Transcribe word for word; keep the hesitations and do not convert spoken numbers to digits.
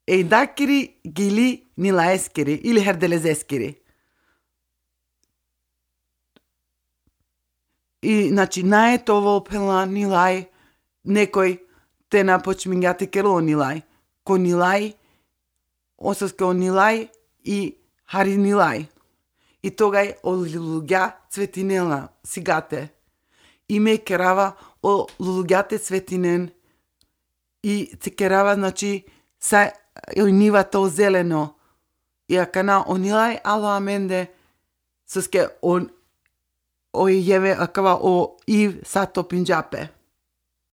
Eidakiri gili nilaeskiri ili herdelezeskiri. И, значи, наетово пела нилај, некој те напочмингати кело нилај, ко нилај, ососке о нилај и хари нилај. И тогај о лулуѓа цветинела сигате. И ме керава о лулуѓате цветинен и се керава, значи, са о нивата о зелено. И акана о нилај ало аменде, соске о o jeve akava o Eve Sato Pinjape.